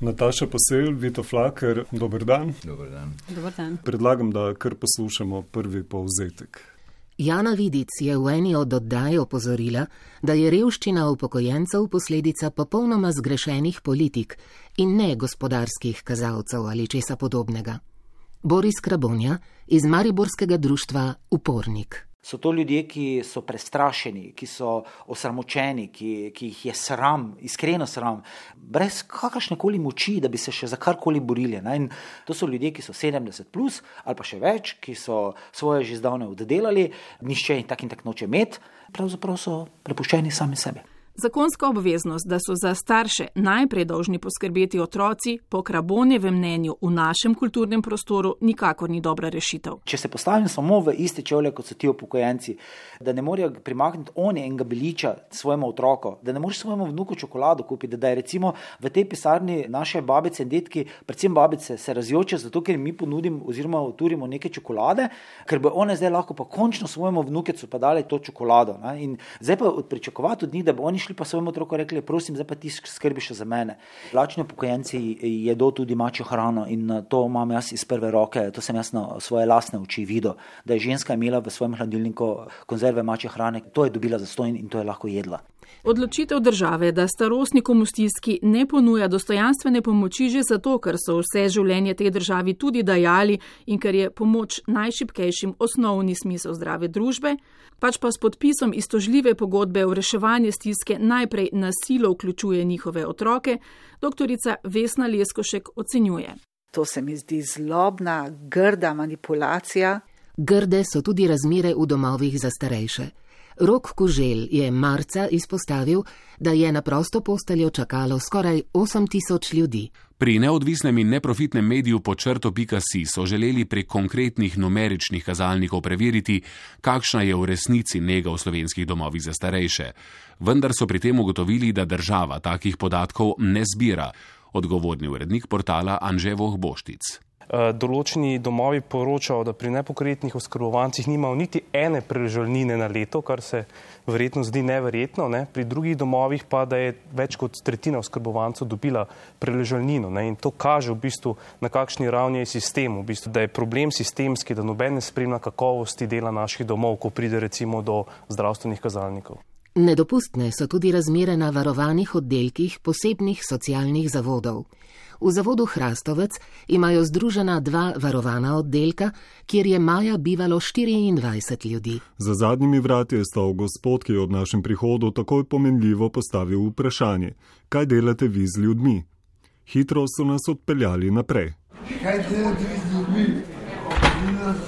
Nataša Posel, Vito Flaker, dober dan. Dober dan. Dober dan. Predlagam, da kar poslušamo prvi povzetek. Jana Vidic je v eni od oddaj opozorila, da je revščina upokojencev posledica popolnoma zgrešenih politik in ne gospodarskih kazalcev ali česa podobnega. Boris Krabonja iz mariborskega društva Upornik. So to ljudje, ki so prestrašeni, ki so osramočeni, ki jih je sram, iskreno sram, brez kakršnekoli moči, da bi se še za karkoli borili. In to so ljudje, ki so 70 plus ali pa še več, ki so svoje že zdavne oddelali, nišče in tak noče imeti, pravzaprav so prepuščeni sami sebi. Zakonska obveznost, da so za starše najprej dolžni poskrbeti otroci, po Krabonjevem mnenju v našem kulturnem prostoru nikakor ni dobra rešitev. Če se postavim samo v iste čevlje, kot so ti upokojenci, da ne morejo primakniti oni enega beliča svojemu otroku, da ne moreš svojemu vnuku čokolado kupiti, da je recimo v tej pisarni naše babice in detki, predvsem babice, se razjoče zato, ker mi ponudim oziroma turimo neke čokolade, ker bo one zdaj lahko pa končno svojemu vnukecu pa dali to čokolado. In zdaj pa pričakovati od njih, da bo oni šli pa svojemu otroku rekli, prosim, zdaj pa ti skrbiš za mene. Lačni upokojenci jedo tudi mačjo hrano in to imam jaz iz prve roke, to sem jaz na svoje lastne oči videl, da je ženska imela v svojem hladilniku konzerve mačje hrane, to je dobila zastonj in to je lahko jedla. Odločitev države, da starostnikom v stiski ne ponuja dostojanstvene pomoči že zato, ker so vse življenje tej državi tudi dajali in ker je pomoč najšibkejšim osnovni smisel zdrave družbe, pač pa s podpisom iztožljive pogodbe o reševanje stiske najprej na silo vključuje njihove otroke, doktorica Vesna Leskošek ocenjuje. To se mi zdi zlobna, grda manipulacija. Grde so tudi razmere v domovih za starejše. Rok Kuželj je marca izpostavil, da je na prosto posteljo čakalo skoraj 8000 ljudi. Pri neodvisnem in neprofitnem mediju Podčrto.si so želeli prek konkretnih numeričnih kazalnikov preveriti, kakšna je v resnici nega v slovenskih domovih za starejše. Vendar so pri tem ugotovili, da država takih podatkov ne zbira. Odgovorni urednik portala Anže Vohboštic. Določeni domovi poročajo, da pri nepokretnih oskrbovancih nimajo niti ene prežalnine na leto, kar se verjetno zdi neverjetno. Pri drugih domovih pa, da je več kot tretjina oskrbovancev dobila preležalnino. In to kaže v bistvu, na kakšni ravni je sistem, v bistvu, da je problem sistemski, da noben ne spremlja kakovosti dela naših domov, ko pride recimo do zdravstvenih kazalnikov. Nedopustne so tudi razmere na varovanih oddelkih posebnih socialnih zavodov. V zavodu Hrastovec imajo združena 2 varovana oddelka, kjer je maja bivalo 24 ljudi. Za zadnjimi vrati je stal gospod, ki je ob našem prihodu takoj pomenljivo postavil vprašanje: kaj delate vi z ljudmi? Hitro so nas odpeljali naprej. Kaj delate vi z ljudmi?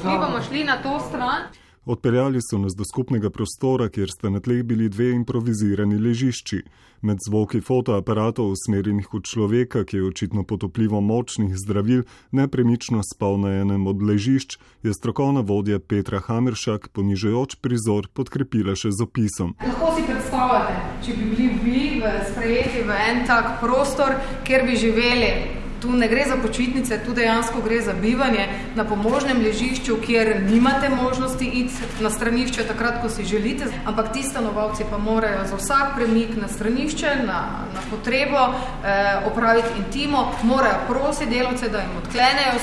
Mi bomo šli na to stran. Odpeljali so nas do skupnega prostora, kjer sta na tleh bili 2 improvizirani ležišči. Med zvoki fotoaparatov usmerjenih v človeka, ki je očitno pod vplivom močnih zdravil nepremično spal na enem od ležišč, je strokovna vodja Petra Hameršak ponižajoč prizor podkrepila še z opisom. Lahko si predstavljate, če bi bili vi sprejeti v en tak prostor, kjer bi živeli. Tu ne gre za počitnice, tu dejansko gre za bivanje na pomožnem ležišču, kjer nimate možnosti iti na stranišče takrat, ko si želite, ampak ti stanovalci pa morajo za vsak premik na stranišče, na potrebo opraviti intimo, morajo prositi delavce, da jim odklenejo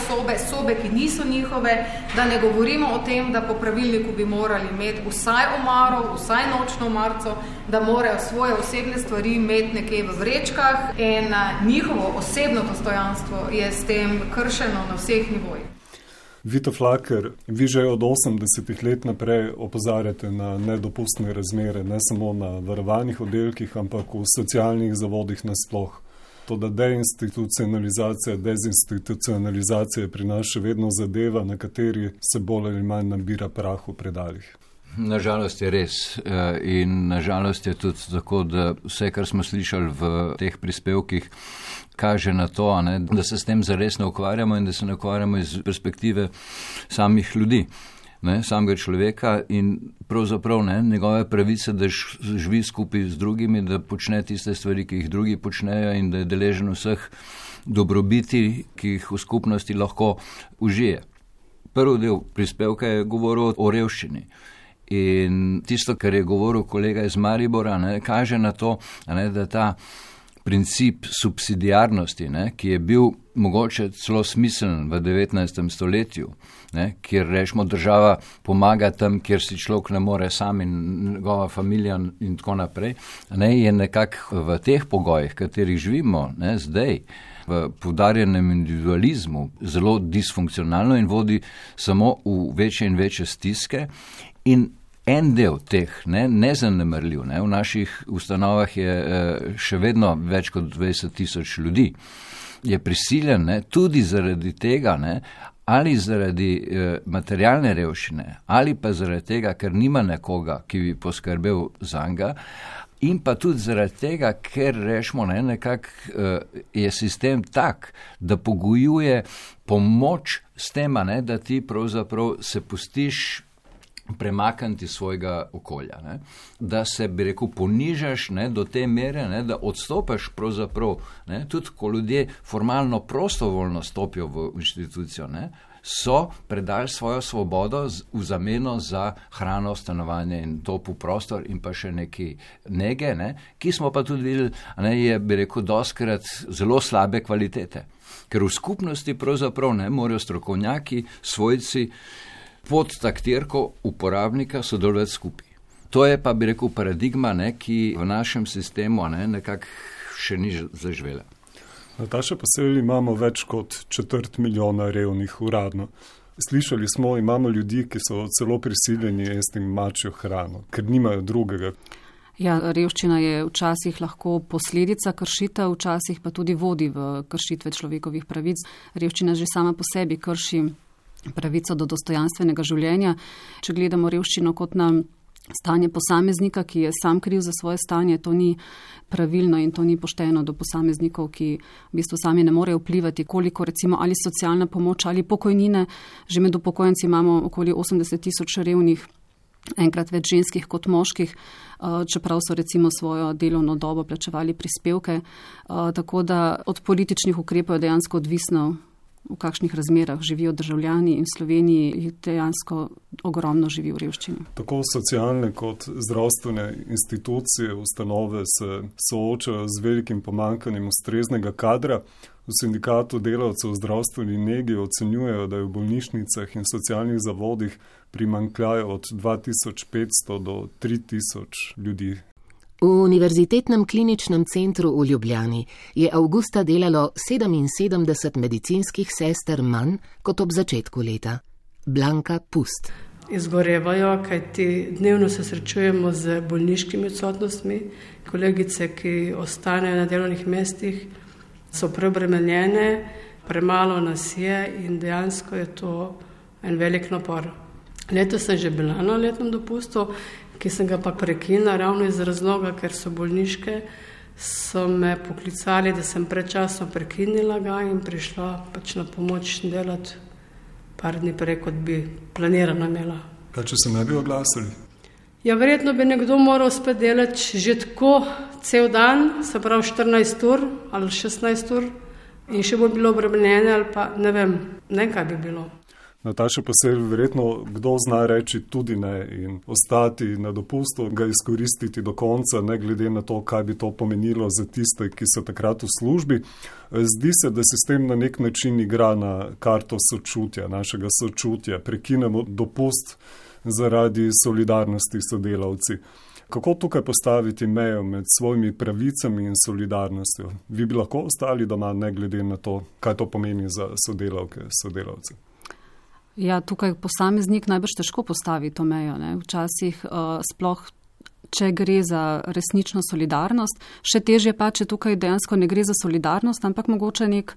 sobe, ki niso njihove, da ne govorimo o tem, da po pravilniku bi morali imeti vsaj omaro, vsaj nočno omarico, da morajo svoje osebne stvari imeti nekje v vrečkah in njihovo osebno dostojanstvo je s tem kršeno na vseh nivojih. Vito Flaker, vi že od 80 let naprej opozarjate na nedopustne razmere, ne samo na varovanih oddelkih, ampak v socialnih zavodih nasploh. To, da deinstitucionalizacija, dezinstitucionalizacija pri nas še vedno zadeva, na kateri se bolj ali manj nabira prah v predalih. Nažalost je res in nažalost je tudi tako, da vse, kar smo slišali v teh prispevkih, kaže na to, da se s tem zares ne ukvarjamo in da se ne ukvarjamo iz perspektive samih ljudi, samega človeka in pravzaprav njegove pravice, da živi skupaj z drugimi, da počne tiste stvari, ki jih drugi počnejo in da je deležen vseh dobrobiti, ki jih v skupnosti lahko užije. Prvi del prispevka je govoril o revščini. In tisto, kar je govoril kolega iz Maribora, kaže na to, da ta princip subsidiarnosti, ki je bil mogoče celo smiseln v 19. stoletju, kjer rečemo država pomaga tam, kjer si človek ne more sam in njegova familija in tako naprej, je nekako v teh pogojih, katerih živimo zdaj, v poudarjenem individualizmu, zelo disfunkcionalno in vodi samo v večje in večje stiske. In en del teh, nezanemrljiv, v naših ustanovah je še vedno več kot 20,000 ljudi, je prisiljen tudi zaradi tega, ali zaradi materialne revščine, ali pa zaradi tega, ker nima nekoga, ki bi poskrbel zanj, in pa tudi zaradi tega, ker rečemo, nekako je sistem tak, da pogojuje pomoč s tem, da ti pravzaprav se pustiš premakniti svojega okolja. Da se, bi rekel, ponižaš do te mere, da odstopaš pravzaprav, tudi ko ljudje formalno prostovoljno stopijo v inštitucijo, so predali svojo svobodo v zameno za hrano, stanovanje in topel prostor in pa še neki nege, ki smo pa tudi videli, je, bi rekel, dostikrat zelo slabe kvalitete. Ker v skupnosti pravzaprav morajo strokovnjaki, svojci, pod taktirko uporabnika sodelovati skupaj. To je pa, bi rekel, paradigma, ki v našem sistemu nekako še ni zaživela. Nataša, pa se imamo več kot 250,000 revnih uradno. Slišali smo, imamo ljudi, ki so celo prisiljeni jesti mačjo hrano, ker nimajo drugega. Ja, revščina je včasih lahko posledica kršitev, včasih pa tudi vodi v kršitve človekovih pravic. Revščina že sama po sebi krši pravico do dostojanstvenega življenja. Če gledamo revščino kot na stanje posameznika, ki je sam kriv za svoje stanje, to ni pravilno in to ni pošteno do posameznikov, ki v bistvu sami ne morejo vplivati, koliko recimo ali socialna pomoč ali pokojnine. Že med upokojenci imamo okoli 80,000 revnih, enkrat več ženskih kot moških, čeprav so recimo svojo delovno dobo plačevali prispevke. Tako da od političnih ukrepov je dejansko odvisno, v kakšnih razmerah živijo državljani in v Sloveniji dejansko ogromno živi v revščini. Tako socialne kot zdravstvene institucije, ustanove se soočajo z velikim pomanjkanjem ustreznega kadra. V sindikatu delavcev v zdravstveni negi ocenjujejo, da je v bolnišnicah in socialnih zavodih primanjkljaj od 2500 do 3000 ljudi. V Univerzitetnem kliničnem centru v Ljubljani je avgusta delalo 77 medicinskih sester manj kot ob začetku leta. Blanka Pust. Izgorevajo, kajti dnevno se srečujemo z bolniškimi odsotnostmi. Kolegice, ki ostanejo na delovnih mestih, so preobremenjene, premalo nas je in dejansko je to en velik napor. Letos sem že bila na letnem dopustu, ki sem ga pa prekinila ravno iz razloga, ker so bolniške, so me poklicali, da sem predčasno prekinila ga in prišla pač na pomoč delati par dni prej, kot bi planirano imela. Kaj, če se ne bi oglasili? Ja, verjetno bi nekdo moral spet delati že tako cel dan, se pravi 14 ur ali 16 ur in še bo bilo obremenjene ali pa ne vem, kaj bi bilo. Nataša, pa se verjetno kdo zna reči tudi ne in ostati na dopustu, ga izkoristiti do konca, ne glede na to, kaj bi to pomenilo za tiste, ki so takrat v službi. Zdi se, da se s tem na nek način igra na karto sočutja, našega sočutja. Prekinemo dopust zaradi solidarnosti s sodelavci. Kako tukaj postaviti mejo med svojimi pravicami in solidarnostjo? Vi bi lahko ostali doma, ne glede na to, kaj to pomeni za sodelavke, sodelavce? Ja, tukaj posameznik najbrž težko postavi to mejo. Včasih sploh, če gre za resnično solidarnost, še težje pa, če tukaj dejansko ne gre za solidarnost, ampak mogoče nek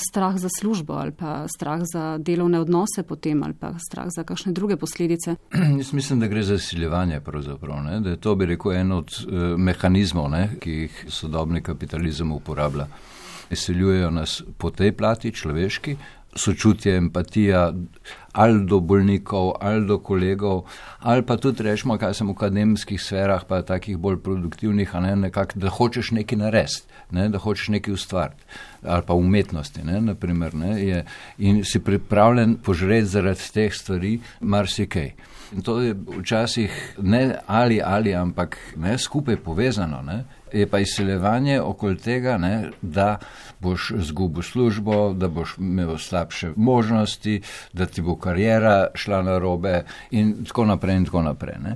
strah za službo ali pa strah za delovne odnose potem ali pa strah za kakšne druge posledice. Jaz mislim, da gre za izsiljevanje pravzaprav, da je to, bi rekel, en od mehanizmov, ki jih sodobni kapitalizem uporablja. Izsiljujejo nas po tej plati človeški, sočutje, empatija ali do bolnikov, ali do kolegov, ali pa tudi rečemo, kaj sem v akademskih sferah, pa takih bolj produktivnih, nekako, da hočeš nekaj narediti, da hočeš nekaj ustvariti, ali pa umetnosti, naprimer, in si pripravljen požreti zaradi teh stvari marsikaj. In to je včasih ne ali, ampak skupaj povezano. Je pa izsiljevanje okoli tega, ne, da boš izgubil službo, da boš imel slabše možnosti, da ti bo karijera šla na robe in tako naprej. Ne.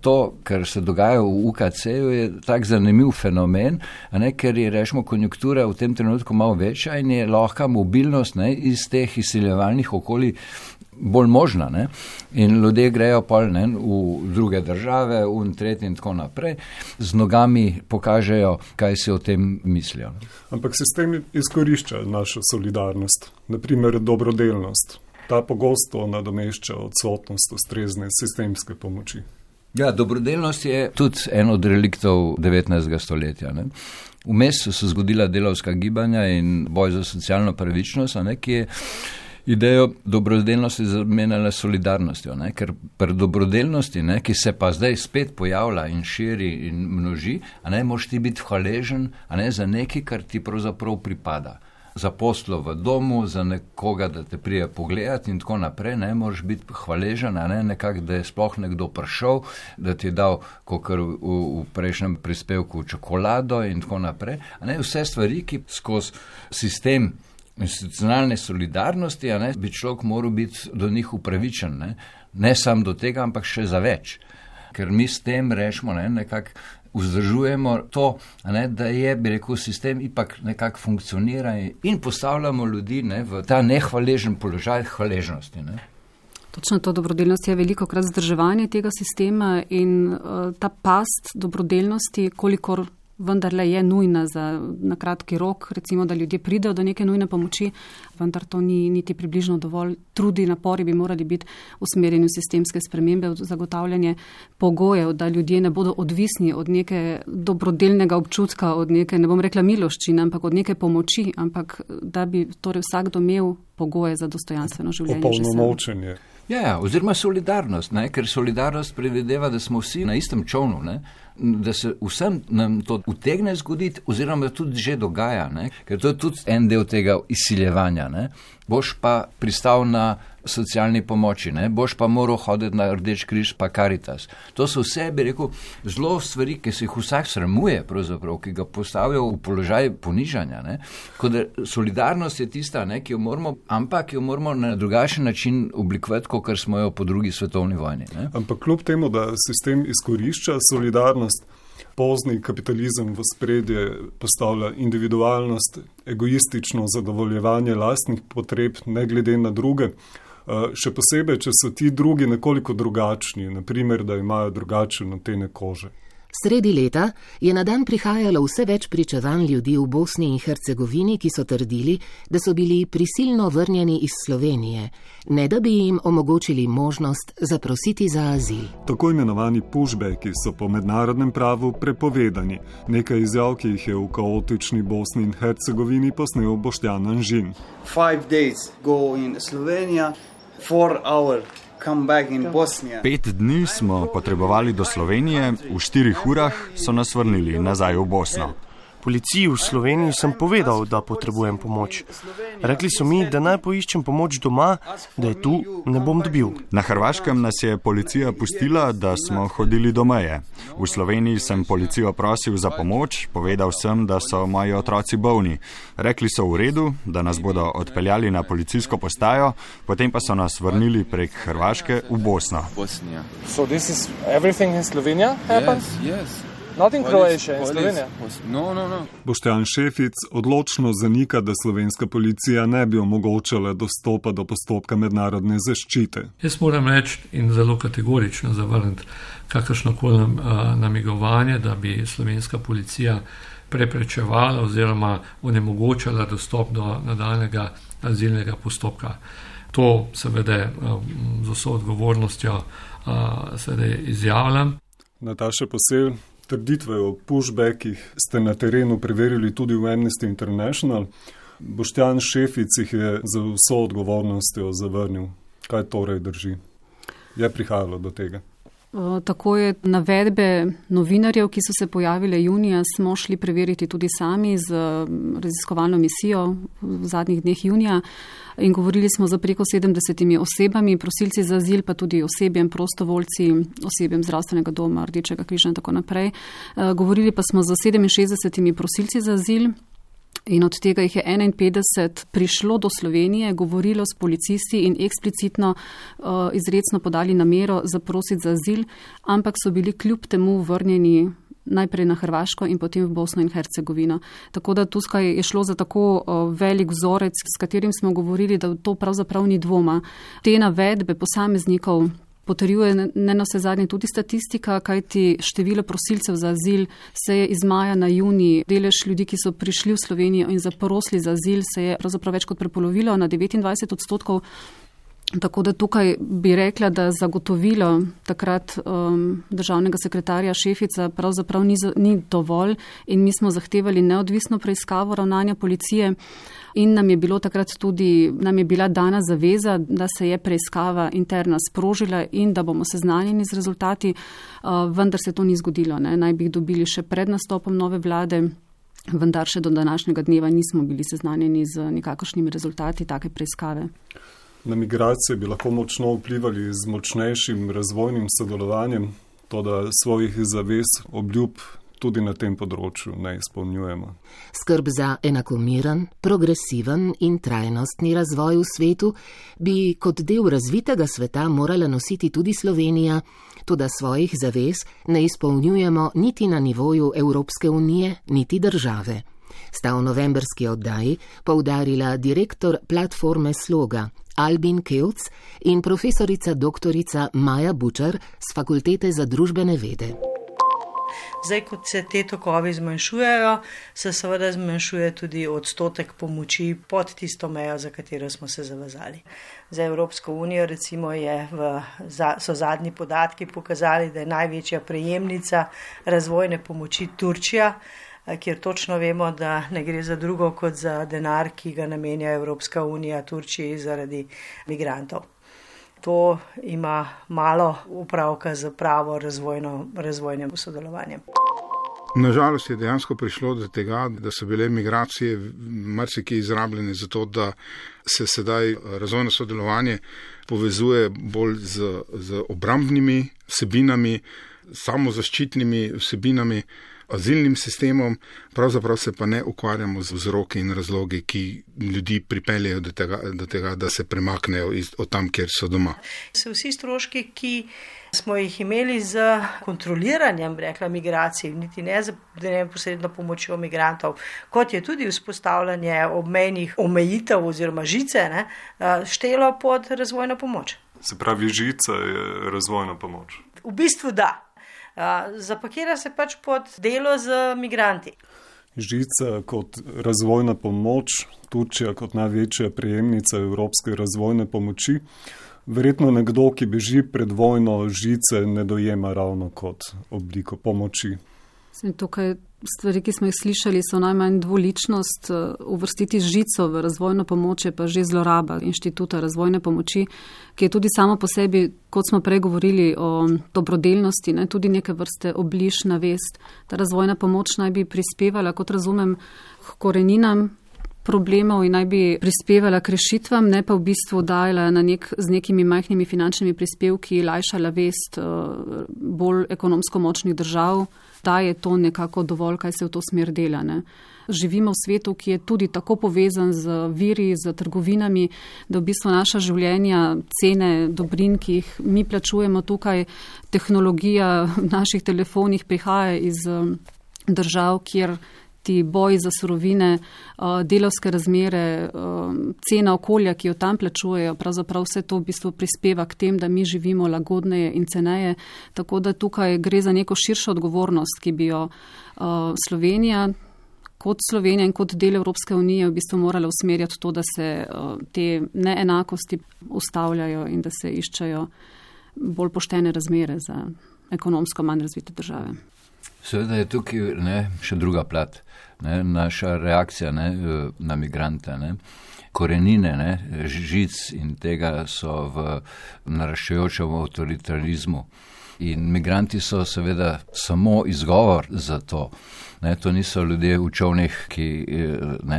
To, kar se dogaja v UKC-ju, je tak zanimiv fenomen, ne, ker je, rečemo, konjunktura v tem trenutku malo večja in je lahka mobilnost, ne, iz teh izsiljevalnih okolij bolj možna. Ne? In ljudje grejo pol, ne, v druge države, v tretje in tako naprej, z nogami pokažejo, kaj si o tem mislijo. Ampak sistem izkorišča našo solidarnost, naprimer dobrodelnost. Ta pogosto nadomešča odsotnost ustrezne sistemske pomoči. Ja, dobrodelnost je tudi en od reliktov 19. stoletja. Ne? Vmes so se zgodila delavska gibanja in boj za socialno pravičnost, ne, ki je idejo dobrodelnosti zamenjala solidarnostjo, ne? Ker pri dobrodelnosti, ne, ki se pa zdaj spet pojavlja in širi in množi, moraš ti biti hvaležen za nekaj, kar ti pravzaprav pripada. Za poslo v domu, za nekoga, da te prije pogledati in tako naprej, ne, moraš biti hvaležen, nekako, da je sploh nekdo prišel, da ti je dal, kakor v prejšnjem prispevku, čokolado in tako naprej. Vse stvari, ki skozi sistem institucionalne solidarnosti, bi človek moral biti do njih upravičen, ne samo do tega, ampak še za več. Ker mi s tem rečemo, nekako vzdržujemo to, da je, bi rekel, sistem ipak nekako funkcionira in postavljamo ljudi v ta nehvaležen položaj hvaležnosti. Točno to, dobrodelnost je veliko krat vzdrževanje tega sistema in ta past dobrodelnosti, kolikor vendarle je nujna na kratki rok, recimo, da ljudje pridejo do neke nujne pomoči, vendar to ni niti približno dovolj. Trudi, napori bi morali biti usmerjeni v sistemske spremembe, v zagotavljanje pogojev, da ljudje ne bodo odvisni od neke dobrodelnega občutka, od neke, ne bom rekla miloščine, ampak od neke pomoči, ampak da bi torej vsakdo imel pogoje za dostojanstveno življenje. Opolnomočenje. Ja, oziroma solidarnost, ker solidarnost predvideva, da smo vsi na istem čovnu, da se vsem nam to utegne zgoditi, oziroma da tudi že dogaja, ker to je tudi en del tega izsiljevanja. Boš pa pristal na socialni pomoči, boš pa moral hoditi na Rdeč križ pa Karitas. To so vse, bi rekel, zelo stvari, ki se jih vsak sramuje, pravzaprav, ki ga postavijo v položaj ponižanja. Tako da solidarnost je tista, ki jo moramo, ampak jo moramo na drugačen način oblikovati, kot smo jo po drugi svetovni vojni. Ampak kljub temu, da sistem izkorišča solidarnost, pozni kapitalizem v spredje postavlja individualnost, egoistično zadovoljevanje lastnih potreb, ne glede na druge. Še posebej, če so ti drugi nekoliko drugačni, naprimer, da imajo drugačne odtene kože. Sredi leta je na dan prihajalo vse več pričevanj ljudi v Bosni in Hercegovini, ki so trdili, da so bili prisilno vrnjeni iz Slovenije, ne da bi jim omogočili možnost zaprositi za azil. Tako imenovani pushbacki so po mednarodnem pravu prepovedani. Nekaj izjav, ki jih je v kaotični Bosni in Hercegovini posnel Boštjan Anžin. 5 days go in Slovenija, 4 hours. 5 dni smo potrebovali do Slovenije, v 4 urah so nas vrnili nazaj v Bosno. Policiji v Sloveniji sem povedal, da potrebujem pomoč. Rekli so mi, da naj poiščem pomoč doma, da je tu ne bom dobil. Na Hrvaškem nas je policija pustila, da smo hodili do meje. V Sloveniji sem policijo prosil za pomoč, povedal sem, da so moji otroci bolni. Rekli so v redu, da nas bodo odpeljali na policijsko postajo, potem pa so nas vrnili prek Hrvaške v Bosno. So this is everything in Slovenia happened? Yes. Not in Croatia, in Slovenija? No. Boštjan Šefic odločno zanika, da slovenska policija ne bi omogočala dostopa do postopka mednarodne zaščite. Jaz moram reči in zelo kategorično zavrniti kakršnokoli namigovanje, da bi slovenska policija preprečevala oziroma onemogočala dostop do nadaljnjega azilnega postopka. To seveda z vso odgovornostjo seveda izjavljam. Nataša Posel, trditve o pushbackih ste na terenu preverili tudi v Amnesty International. Boštjan Šefic jih je za vso odgovornostjo zavrnil. Kaj torej drži? Je prihajalo do tega? Tako je navedbe novinarjev, ki so se pojavile junija, smo šli preveriti tudi sami z raziskovalno misijo v zadnjih dneh junija in govorili smo za preko 70 osebami, prosilci za azil, pa tudi osebjem, prostovoljci, osebjem zdravstvenega doma, Rdečega križa in tako naprej. Govorili pa smo za 67 prosilci za azil. In od tega jih je 51 prišlo do Slovenije, govorilo s policisti in eksplicitno izrecno podali namero zaprositi za azil, ampak so bili kljub temu vrnjeni najprej na Hrvaško in potem v Bosno in Hercegovino. Tako da tukaj je šlo za tako velik vzorec, s katerim smo govorili, da to pravzaprav ni dvoma. Te navedbe posameznikov potrjuje ne na vse zadnje tudi statistika, kajti število prosilcev za azil se je iz maja na junij, delež ljudi, ki so prišli v Slovenijo in zaprosili za azil, se je pravzaprav več kot prepolovilo na 29%. Tako da tukaj bi rekla, da zagotovilo takrat državnega sekretarja Šefica pravzaprav ni dovolj in mi smo zahtevali neodvisno preiskavo ravnanja policije in nam je bila dana zaveza, da se je preiskava interna sprožila in da bomo seznanjeni z rezultati, vendar se to ni zgodilo. Naj bi jih dobili še pred nastopom nove vlade, vendar še do današnjega dneva nismo bili seznanjeni z nikakršnimi rezultati take preiskave. Na migracije bi lahko močno vplivali z močnejšim razvojnim sodelovanjem, to da svojih zavez, obljub tudi na tem področju ne izpolnjujemo. Skrb za enakomiren, progresiven in trajnostni razvoj v svetu bi kot del razvitega sveta morala nositi tudi Slovenija, toda svojih zavez ne izpolnjujemo niti na nivoju Evropske unije, niti države. Sta v novemberski oddaji poudarila direktor platforme Sloga Albin Kelc in profesorica doktorica Maja Bučar z Fakultete za družbene vede. Zdaj, kot se te tokovi zmanjšujejo, se seveda zmanjšuje tudi odstotek pomoči pod tisto mejo, za katero smo se zavezali. Za Evropsko unijo recimo so zadnji podatki pokazali, da je največja prejemnica razvojne pomoči Turčija, kjer točno vemo, da ne gre za drugo kot za denar, ki ga namenja Evropska unija Turčiji zaradi migrantov. To ima malo upravka z pravo razvojnim sodelovanjem. Nažalost je dejansko prišlo do tega, da so bile migracije marsikaj izrabljene za to, da se sedaj razvojno sodelovanje povezuje bolj z obrambnimi vsebinami, samozaščitnimi vsebinami, azilnim sistemom, pravzaprav se pa ne ukvarjamo z vzroki in razlogi, ki ljudi pripeljejo do tega, da se premaknejo od tam, kjer so doma. Vsi stroški, ki smo jih imeli z kontroliranjem, migracij, niti ne z neposredno pomočjo migrantov, kot je tudi vzpostavljanje obmejnih omejitev oziroma žice, štelo pod razvojno pomoč. Se pravi, žica je razvojna pomoč? V bistvu da. Zapakira se pač pod delo z migranti. Žica kot razvojna pomoč, Turčija kot največja prejemnica evropske razvojne pomoči. Verjetno nekdo, ki beži pred vojno, žice ne dojema ravno kot obliko pomoči. Tukaj stvari, ki smo jih slišali, so najmanj dvoličnost. Uvrstiti žico v razvojno pomoč je pa že zloraba inštituta razvojne pomoči, ki je tudi samo po sebi, kot smo prej govorili o dobrodelnosti, tudi neke vrste obliž na vest. Ta razvojna pomoč naj bi prispevala, kot razumem, k koreninam problemov in naj bi prispevala k rešitvam, ne pa v bistvu dajala z nekimi majhnimi finančnimi prispevki lajšala vest bolj ekonomsko močnih držav, da je to nekako dovolj, kaj se v to smer dela. Živimo v svetu, ki je tudi tako povezan z viri, z trgovinami, da v bistvu naša življenja, cene dobrin, ki jih mi plačujemo tukaj, tehnologija v naših telefonih prihaja iz držav, kjer ti boji za surovine, delavske razmere, cena okolja, ki jo tam plačujejo, pravzaprav vse to v bistvu prispeva k tem, da mi živimo lagodneje in ceneje. Tako da tukaj gre za neko širšo odgovornost, ki bi jo Slovenija in kot del Evropske unije v bistvu morala usmerjati to, da se te neenakosti ustavljajo in da se iščejo bolj poštene razmere za ekonomsko manj razvite države. Seveda je tukaj še druga plat, naša reakcija na migrante. Korenine žic in tega so v naraščajočem avtoritarizmu. In migranti so seveda samo izgovor za to. Ne, to niso ljudje v čovnih, ki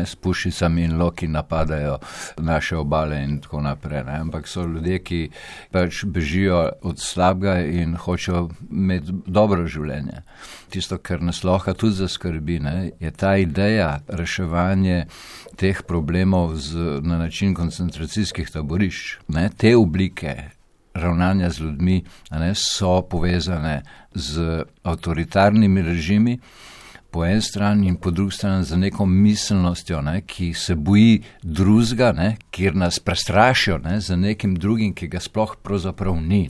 s pušicami in loki napadajo naše obale in tako naprej, ne, ampak so ljudje, ki pač bežijo od slabega in hočejo imeti dobro življenje. Tisto, kar nas lahko tudi zaskrbi, ne, je ta ideja reševanja teh problemov na način koncentracijskih taborišč. Ne, te oblike ravnanja z ljudmi so povezane z avtoritarnimi režimi, po eni strani in po drugi strani za neko miselnostjo, ki se boji drugega, kjer nas prestrašijo za nekim drugim, ki ga sploh pravzaprav ni,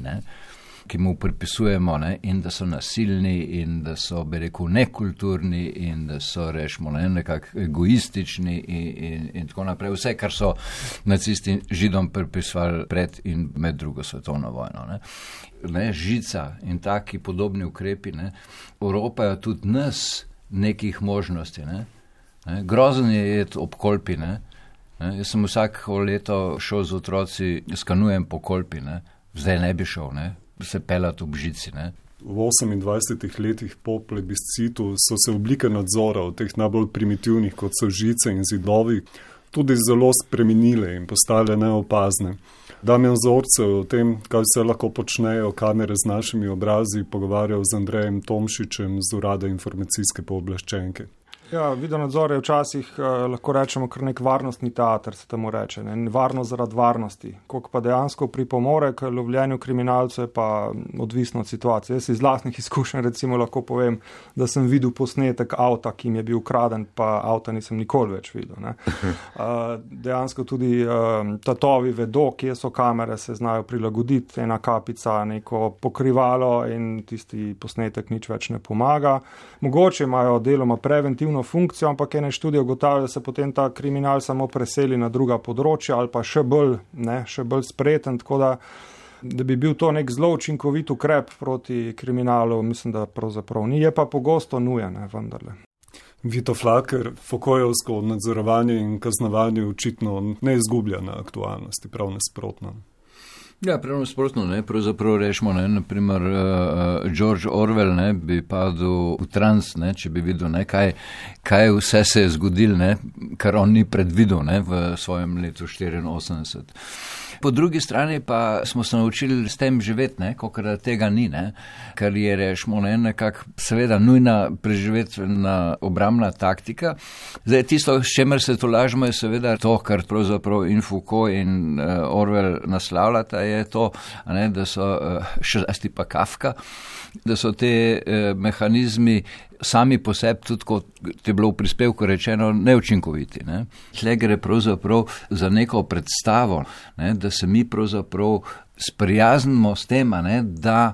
ki mu pripisujemo in da so nasilni in da so, bi rekel, nekulturni in da so, rečemo, nekako egoistični in tako naprej. Vse, kar so nacisti Židom pripisovali pred in med drugo svetovno vojno. Žica in taki podobni ukrepi Evropajo tudi nas nekih možnosti. Grozen je jeti ob Kolpi. Jaz sem vsako leto šel z otroci, skanujem po Kolpi. Zdaj ne bi šel, se pelati ob Žici. V 28 letih po plebiscitu so se oblike nadzora od teh najbolj primitivnih, kot so žice in zidovi, tudi zelo spremenile in postale neopazne. Damjan Zorc o tem, kaj vse lahko počnejo kamere z našimi obrazi, pogovarjal z Andrejem Tomšičem z Urada informacijske pooblaščenke. Ja, videonadzor je včasih, lahko rečemo, kar nek varnostni teater, se temu reče. Varnost zaradi varnosti. Koliko pa dejansko pripomore k lovljenju kriminalcev, je pa odvisno od situacije. Jaz iz lastnih izkušenj recimo lahko povem, da sem videl posnetek avta, ki mi je bil ukraden, pa avta nisem nikoli več videl. Dejansko tudi tatovi vedo, kje so kamere, se znajo prilagoditi, ena kapica, neko pokrivalo in tisti posnetek nič več ne pomaga. Mogoče imajo deloma preventivno funkcijo, ampak ene študije ugotavljajo, da se potem ta kriminal samo preseli na druga področja ali pa še bolj spreten, tako da bi bil to nek zelo učinkovit ukrep proti kriminalu, mislim, da pravzaprav ni, je pa pogosto nujen, vendarle. Vito Flaker, Foucaultovsko nadzorovanje in kaznovanje očitno ne izgublja na aktualnosti, prav nasprotno. Ja, prav nasprotno, pravzaprav rečemo, naprimer George Orwell bi padel v trans, če bi videl, kaj vse se je zgodilo, kar on ni predvidel v svojem letu 84. Po drugi strani pa smo se naučili s tem živeti, kolikor tega ni, kar je, rečemo, nekako seveda nujna preživetvena obrambna taktika. Zdaj, tisto, s čemer se tolažimo, je seveda to, kar pravzaprav in Foucault in Orwell naslavljata, je to, da so, še zlasti pa Kafka, da so te mehanizmi sami po sebi, tudi kot je bilo v prispevku rečeno, neučinkoviti. Tle gre pravzaprav za neko predstavo, da se mi pravzaprav sprijaznimo s tem, da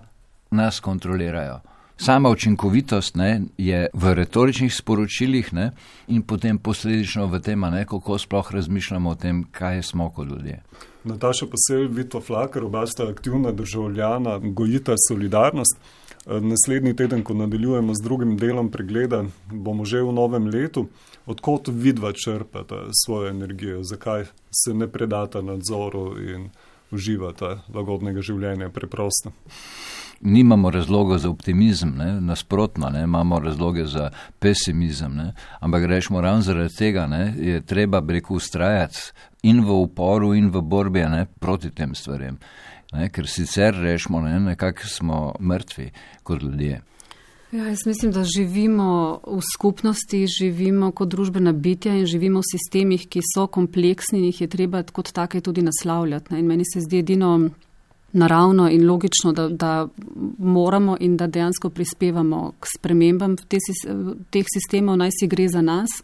nas kontrolirajo. Sama učinkovitost je v retoričnih sporočilih in potem posledično v tem, kako sploh razmišljamo o tem, kaj smo kot ljudje. Nataša Posel, Vito Flaker, oba sta aktivna državljana, gojita solidarnost. Naslednji teden, ko nadaljujemo z drugim delom pregleda, bomo že v novem letu. Odkot vidva črpata svojo energijo? Zakaj se ne predata nadzoru in uživata lagodnega življenja preprosto? Nimamo razloga za optimizem, nasprotno, imamo razloge za pesimizem, ampak rečemo ravno zaradi tega, je treba ustrajati in v uporu in v borbi proti tem stvarem. Ker sicer rečemo, nekako smo mrtvi kot ljudje. Ja, jaz mislim, da živimo v skupnosti, živimo kot družbena bitja in živimo v sistemih, ki so kompleksni in jih je treba kot take tudi naslavljati. In meni se zdi edino naravno in logično, da moramo in da dejansko prispevamo k spremembam teh sistemov, naj si gre za nas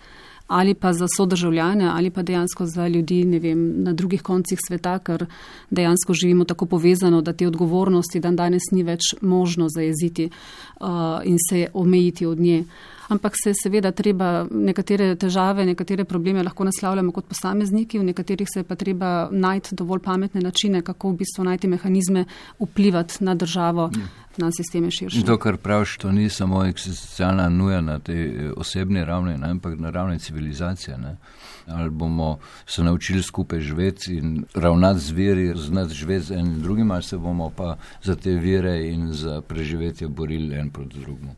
ali pa za sodržavljane ali pa dejansko za ljudi, na drugih koncih sveta, ker dejansko živimo tako povezano, da te odgovornosti dan danes ni več možno zajeziti in se omejiti od nje. ampak se seveda treba nekatere težave, nekatere probleme lahko naslavljamo kot posamezniki, v nekaterih se je pa treba najti dovolj pametne načine, kako v bistvu najti mehanizme vplivati na državo, na sisteme širše. To, kar praviš, to ni samo eksistencialna nuja na tej osebni ravni, ampak na ravni civilizacije. Ne? Ali bomo se naučili skupaj živeti in ravnati z viri, znati živeti z enim drugim, ali se bomo pa za te vire in za preživetje borili en proti drugemu.